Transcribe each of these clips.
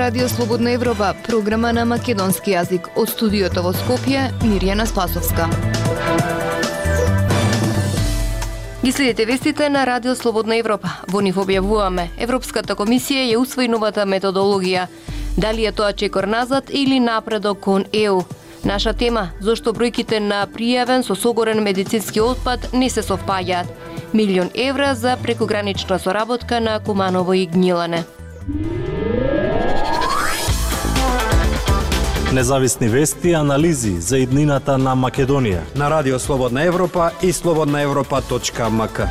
Радио Слободна Европа, програма на македонски јазик. Од студиото во Скопје, Мирјана Спасовска. Ги следите вестите на Радио Слободна Европа. Во нив објавуваме: Европската комисија ја усвои новата методологија. Дали е тоа чекор назад или напредок кон ЕУ? Наша тема: зошто бројките на пријавен со согорен медицински отпад не се совпаѓаат. €1.000.000 за прекогранична соработка на Куманово и Гнилане. Независни вести и анализи за иднината на Македонија на Радио Слободна Европа и slobodnaevropa.mk.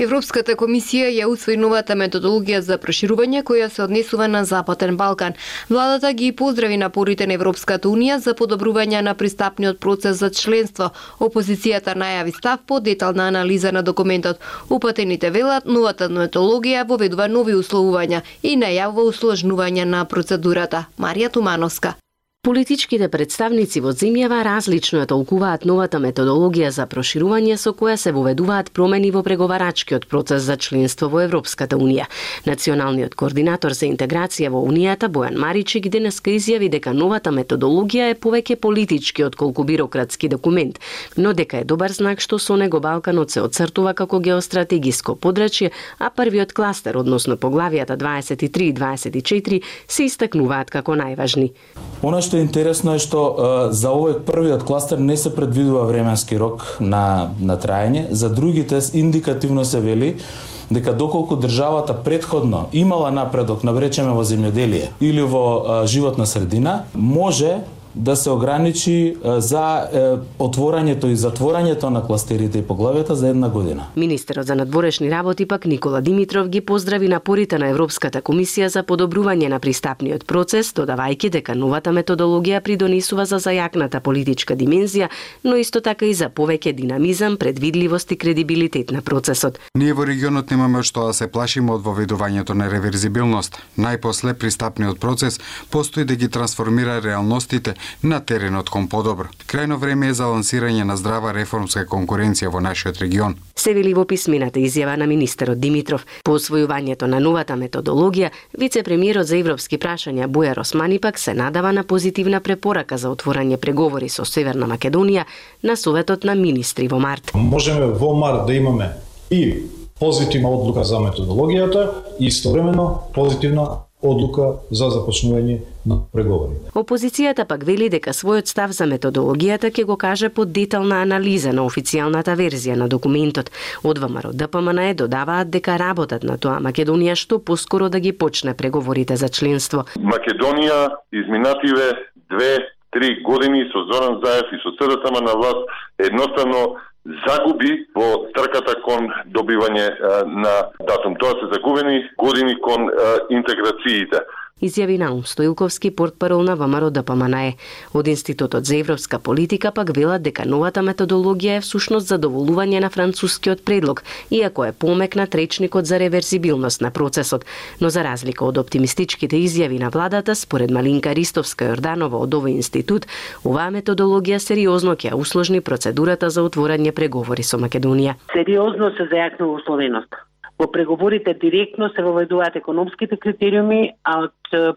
Европската комисија ја усвои новата методологија за проширување која се однесува на Западен Балкан. Владата ги поздрави напорите на Европската унија за подобрување на пристапниот процес за членство. Опозицијата најави став по детална анализа на документот. Упатените велат новата методологија воведува нови условувања и најавува усложнување на процедурата. Марија Тумановска. Политичките представници во земјава различно ја толкуваат новата методологија за проширување со која се воведуваат промени во преговарачкиот процес за членство во Европската унија. Националниот координатор за интеграција во Унијата Бојан Маричик денеска изјави дека новата методологија е повеќе политички отколку бирократски документ, но дека е добар знак што со него Балканот се оцртува како геостратегиско подрачје, а првиот кластер, односно поглавијата 23 и 24, се истакнуваат како најважни. Што е интересно е што за овој првиот кластер не се предвидува временски рок на траење, за другите индикативно се вели дека доколку државата претходно имала напредок, навречеме во земјоделие или во животна средина, може да се ограничи за отворањето и затворањето на кластерите и поглавијата за 1 година. Министерот за надворешни работи пак Никола Димитров ги поздрави напорите на Европската комисија за подобрување на пристапниот процес, додавајќи дека новата методологија придонесува за зајакната политичка димензија, но исто така и за повеќе динамизам, предвидливост и кредибилитет на процесот. Ние во регионот немаме што да се плашиме од воведувањето на реверзибилност. Најпосле пристапниот процес постои да ги трансформира реалностите на теренот кон подобро. Крајно време е за лансирање на здрава реформска конкуренција во нашиот регион. Се вели во писмената изјава на министерот Димитров. По освојувањето на новата методологија, вице-премиерот за европски прашања Бујар Османи пак се надава на позитивна препорака за отворање преговори со Северна Македонија на Советот на министри во март. Можеме во март да имаме и позитивна одлука за методологијата и истовремено позитивна одлука за започнување на преговори. Опозицијата пак вели дека својот став за методологијата ќе го каже по детална анализа на официјалната верзија на документот. Од ВМРО ДПМН додаваат дека работат на тоа Македонија што поскоро да ги почне преговорите за членство. Македонија изминативе 2-3 години со Зоран Заев и со СДСМ на власт едноставно загуби во трката кон добивање на датум. Тоа се загубени години кон интеграциите. Изјави Наум Стоилковски, портпарол на ВМРО ДПМН. Од Институтот за европска политика пак велат дека новата методологија е всушност задоволување на францускиот предлог, иако е помекнат речникот за реверзибилност на процесот. Но за разлика од оптимистичките изјави на владата, според Малинка Ристовска-Јорданова од овој институт, оваа методологија сериозно ќе усложни процедурата за отворање преговори со Македонија. Сериозно се зајакнува условеност. Во преговорите директно се воведуваат економските критериуми, а од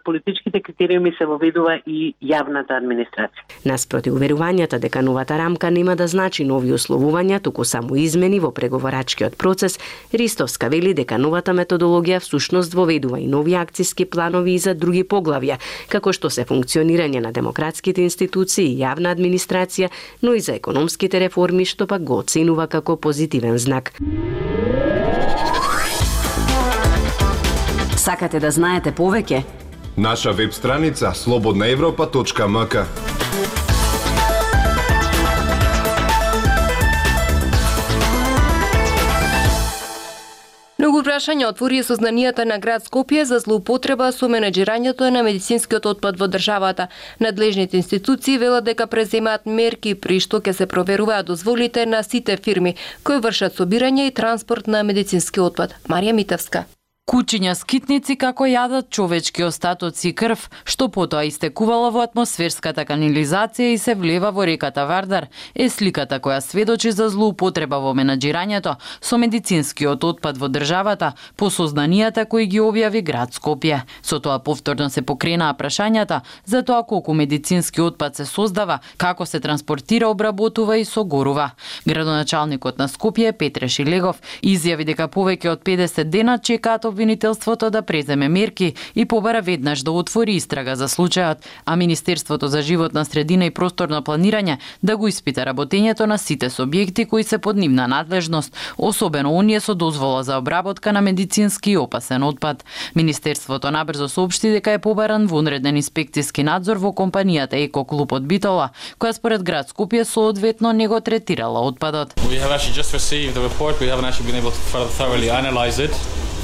политичките критериуми се воведува и јавната администрација. Наспроти уверувањата дека новата рамка нема да значи нови условувања, туку само измени во преговорачкиот процес, Ристовска вели дека новата методологија всушност воведува и нови акциски планови и за други поглавја, како што се функционирање на демократските институции и јавна администрација, но и за економските реформи, што пак го оценува како позитивен знак. Сакате да знаете повеќе? Наша веб страница slobodnaevropa.mk. Многу прашања отвори сознанијата на град Скопје за злоупотреба со менеџирањето на медицинскиот отпад во државата. Надлежните институции велат дека преземаат мерки при што ќе се проверуваат дозволите на сите фирми кои вршат собирање и транспорт на медицински отпад. Марија Митевска. Кучиња скитници како јадат човечки остатоци и крв, што потоа истекувала во атмосферската канализација и се влева во реката Вардар, е сликата која сведочи за злоупотреба во менаџирањето со медицинскиот отпад во државата по сознанијата кои ги објави град Скопје. Со тоа повторно се покренаа прашањата за тоа колку медицински отпад се создава, како се транспортира, обработува и согорува. Градоначалникот на Скопје Петре Шилегов изјави дека повеќе од 50 дена чекаат обвинителството да преземе мерки и побара веднаш да отвори истрага за случајот, а Министерството за животна средина и просторно планирање да го испита работењето на сите субјекти кои се под нивна надлежност, особено оние со дозвола за обработка на медицински и опасен отпад. Министерството набрзо соопшти дека е побаран вонреден инспекциски надзор во компанијата Еко Клуб од Битола, која според град Скопје соодветно не го третирала отпадот. We have actually just received the report. We haven't actually been able to thoroughly analyze it.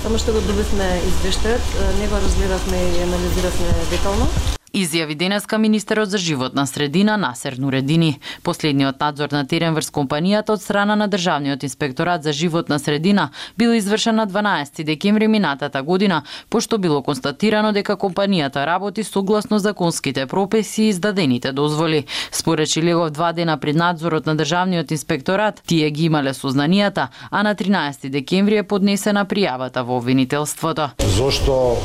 Само што го добивме извештајот, не го разгледавме и анализиравме детално. Изјави денеска министерот за животна средина Насер Нуредини. Последниот надзор на терен врз компанијата од страна на Државниот инспекторат за животна средина бил извршен на 12 декември минатата година, пошто било констатирано дека компанијата работи согласно законските прописи и издадените дозволи. Според Шилегов, 2 дена пред надзорот на Државниот инспекторат, тие ги имале сознанијата, а на 13 декември е поднесена пријавата во обвинителството. Зошто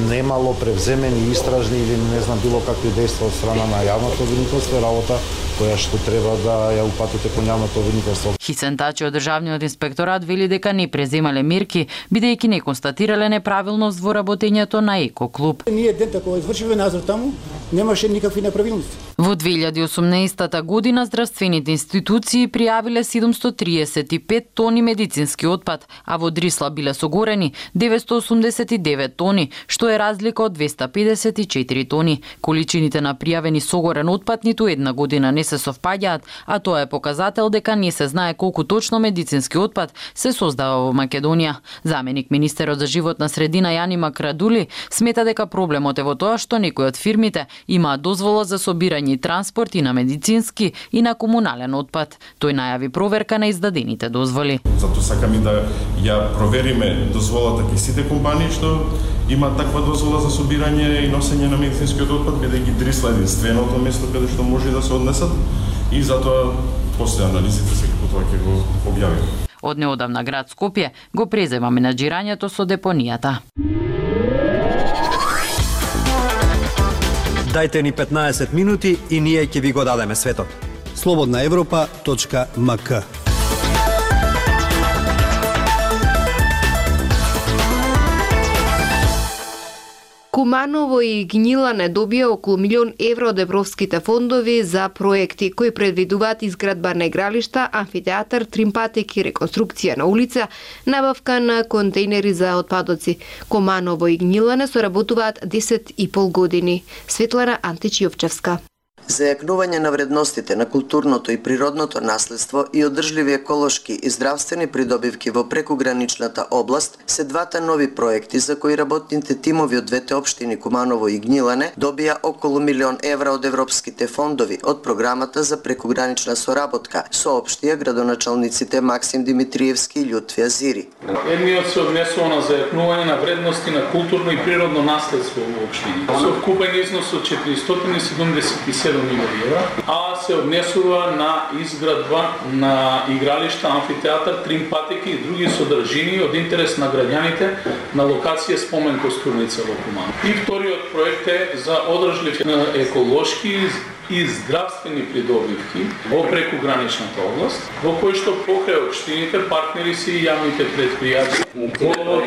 немало превземени истражни или не знам било какви дејства од страна на јавното обвинителство, работа која што треба да ја упатите кон јавното обвинителство. Хисен Тачи од Државниот инспекторат вели дека не преземале мерки, бидејќи не констатирале неправилност во работењето на Еко Клуб. Ние дента кога извршивме надзор таму, немаше никакви неправилности. Во 2018 година здравствените институции пријавиле 735 тони медицински отпад, а во Дрисла биле согорени 989 тони, што е разлика од 254 тони. Количините на пријавени согорен отпад ниту една година не се совпаѓаат, а тоа е показател дека не се знае колку точно медицински отпад се создава во Македонија. Заменик министерот за животна средина Јани Макрадули смета дека проблемот е во тоа што некои од фирмите имаат дозвола за собирање и транспорт и на медицински и на комунален отпад. Тој најави проверка на издадените дозволи. Затоа сакаме да ја провериме дозволата кај сите компании што имаат таква дозвола за собирање и носење на медицинскиот отпад, бидејќи Дрисла е единственото место каде што може да се однесат и затоа после анализите секако тоа ќе го објавиме. Од неодамна град Скопје го презема менаџирањето со депонијата. Дајте ни 15 минути и ние ќе ви го дадеме светот. slobodnaevropa.mk. Куманово и Гнилане добија околу €1.000.000 од европските фондови за проекти кои предвидуваат изградба на игралишта, амфитеатар, тримпатик и реконструкција на улица, набавка на контейнери за отпадоци. Куманово и Гнилане соработуваат 10,5 години. Светлана Античиовчевска. За јакнување на вредностите на културното и природното наследство и одржливи еколошки и здравствени придобивки во прекуграничната област се двата нови проекти за кои работните тимови од двете општини Куманово и Гнилане добија околу €1.000.000 од европските фондови од програмата за прекугранична соработка, соопштија градоначалниците Максим Димитриевски и Љутвија Зири. Едниот се однесува на зајакнување на вредности на културно и природно наследство во општини. Со вкупен износ од 477 милиони евра, а се однесува на изградба на игралишта, амфитеатар, тримпатики и други содржини од интерес на граѓаните на локација Спомен Костурница во Куманово. И вториот проект е за одржлив еколошки и здравствени придобивки во прекуграничната област, во кој што покрај општините партнери си и јавните предпријатија. Во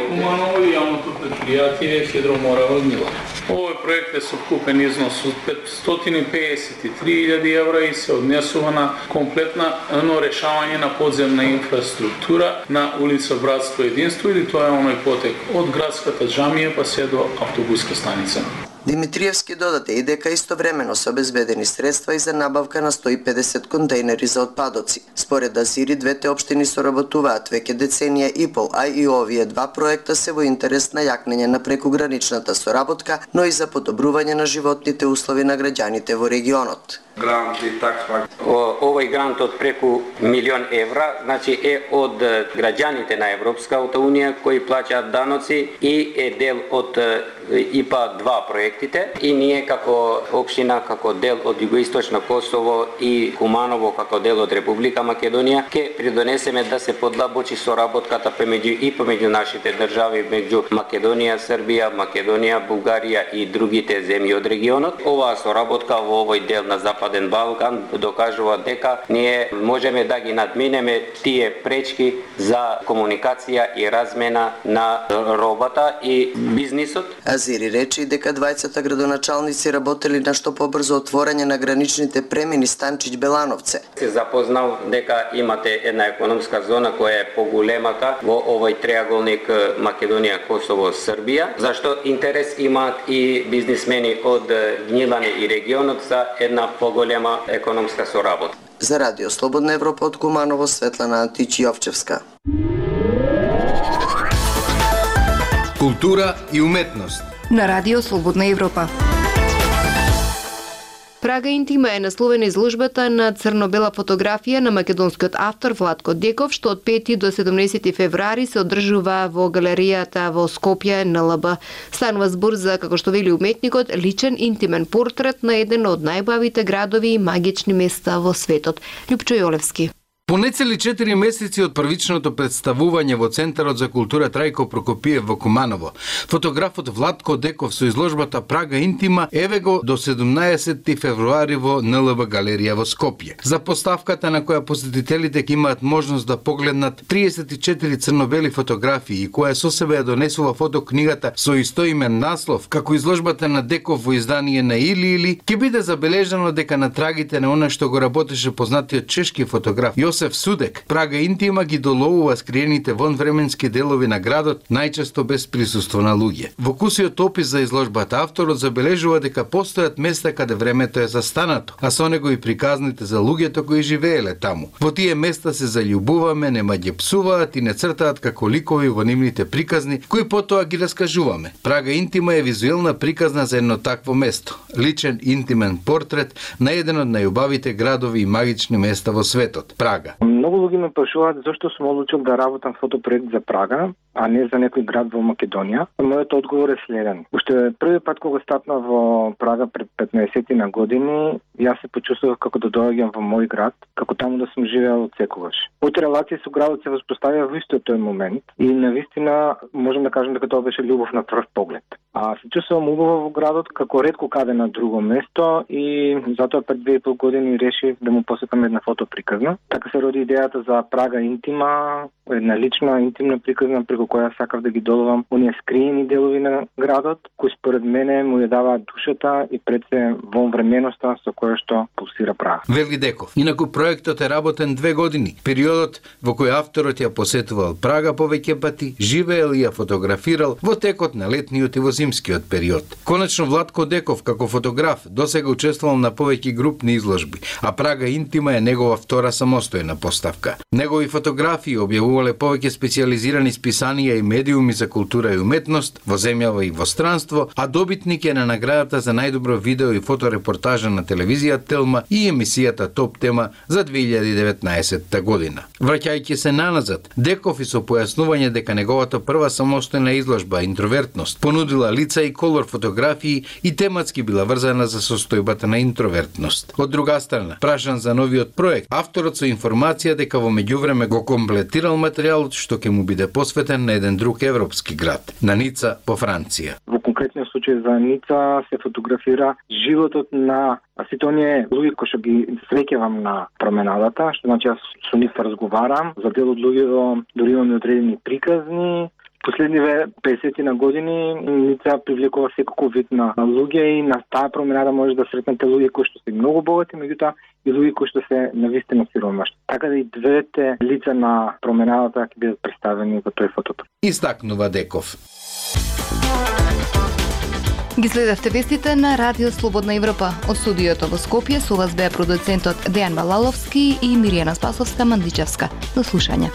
Куманово и јавното предпријатие Хидроморава Гнилане. Овој проект е со вкупен износ од 553.000 евра и се однесува на комплетно решавање на подземна инфраструктура на улица Братство и Единство, или тоа е оној потек од градската џамија па се до автобуска станица. Димитриевски додаде и дека истовремено се обезбедени средства и за набавка на 150 контейнери за отпадоци. Според Азири, двете општини соработуваат веќе деценија и пол, а и овие два проекта се во интерес на јакнење на прекуграничната соработка, но и за подобрување на животните услови на граѓаните во регионот. Грант и таква. Овој грант од преку 1.000.000 евра, значи е од граѓаните на Европската унија кои плаќаат даноци и е дел од ИПА 2 проектите и ние како општина, како дел од Југоисточно Косово и Куманово како дел од Република Македонија ќе придонесеме да се подлабочи соработката помеѓу нашите држави, меѓу Македонија, Србија, Македонија, Бугарија и другите земји од регионот. Оваа соработка во овој дел на Западен Балкан докажува дека ние можеме да ги надминеме тие пречки за комуникација и размена на робата и бизнисот. Азири рече дека двајцата градоначалници работели на што побрзо отворање на граничните премини Станчиć-Белановце. Се запознал дека имате една економска зона која е поголемата во овој триаголник Македонија, Косово, Србија, зашто интерес имаат и бизнисмени од Gnjilane и регионот за една поголема економска соработка. За Радио Слободна Европа од Куманово, Светлана Антич-Јовчевска. Култура и уметност на Радио Слободна Европа. Прага интима е насловена изложбата на црно-бела фотографија на македонскиот автор Владко Деков, што од 5 до 17 февруари се одржува во галеријата во Скопје НЛБ. Станува збор за, како што вели уметникот, личен интимен портрет на еден од најбавите градови и магични места во светот. Лјупчо Јолевски. По нецели 4 месеци од првичното представување во Центарот за култура Трајко Прокопиев во Куманово, фотографот Владко Деков со изложбата Прага интима еве го до 17 февруари во НЛБ галерија во Скопје. За поставката на која посетителите ќе имаат можност да погледнат 34 црно-бели фотографии и која со себе ја донесува фотокнигата со истоимен наслов, како изложбата на Деков во издание на Или, ќе биде забележано дека на трагите на она што го работеше познатиот чешки фотограф Јосеф Судек, Прага интима ги доловува скриените вонвременски делови на градот, најчесто без присуство на луѓе. Во кусиот опис за изложбата авторот забележува дека постојат места каде времето е застанато, а со него и приказните за луѓето кои живееле таму. Во тие места се заљубуваме, нема ги псуваат и не цртаат како ликови во нивните приказни, кои потоа ги раскажуваме. Прага интима е визуелна приказна за едно такво место, личен интимен портрет на еден од најубавите градови и магични места во светот, Прага. Многу луѓе ме прашуваат зашто сум одлучил да работам фотопроект за Прага, а не за некој град во Македонија. Мојот одговор е следен. Уште први пат кога стапнав во Прага пред 15 на години, јас се почувствував како да доаѓам во мој град, како таму да сум живеел од секогаш. Моите релации со градот се воспоставија во истиот тој момент и навистина можам да кажам дека тоа беше љубов на прв поглед. А се чувствувам убаво во градот како ретко каде на друго место и затоа пред 2,5 години решив да му посетам една фотоприказна. Така се роди идејата за Прага интима, една лична интимна приказна преку која сакав да ги доловам оние скриени делови на градот, кои според мене му ја даваат душата и пред се вонвременоста со која што пулсира Прага. Вели Деков. Инаку проектот е работен 2 години. Периодот во кој авторот ја посетувал Прага повеќе пати, живеел и ја фотографирал во текот на летниот и во зимскиот период. Конечно Владко Деков како фотограф досега учествувал на повеќе групни изложби, а Прага интима е негова втора самостојна поставка. Негови фотографии објавувале повеќе специјализирани списанија и медиуми за култура и уметност во земјава и во странство, а добитник е на наградата за најдобро видео и фоторепортажа на телевизија Телма и емисијата Топ тема за 2019 година. Враќајќи се наназад, Деков и со појаснување дека неговата прва самостојна изложба Интровертност понудила лица и колор фотографии и тематски била врзана за состојбата на интровертност. Од друга страна, прашан за новиот проект, авторот со информација дека во меѓувреме го комплетирал материјалот што ќе му биде посветен на еден друг европски град, на Ница по Франција. Во конкретниот случај за Ница се фотографира животот на сите оние луѓе кои што ги среќавам на променадата, што значи јас со нив разговарам, за дел од луѓето дури имаме одредени приказни. Последниве 50 на години Ница привлекува секако вид на луѓе и на таа променада може да сретнете луѓе кои што се многу богати, меѓутоа и луѓе кои што се навистина сиромашни. Така да и двете лица на променадата ќе бидат представени во тој фотопроект. Истакнува Деков. Ги следевте вестите на Радио Слободна Европа. Од студиото во Скопје со вас беа продуцентот Дејан Балаловски и Миријана Спасовска-Мандичевска. До слушање.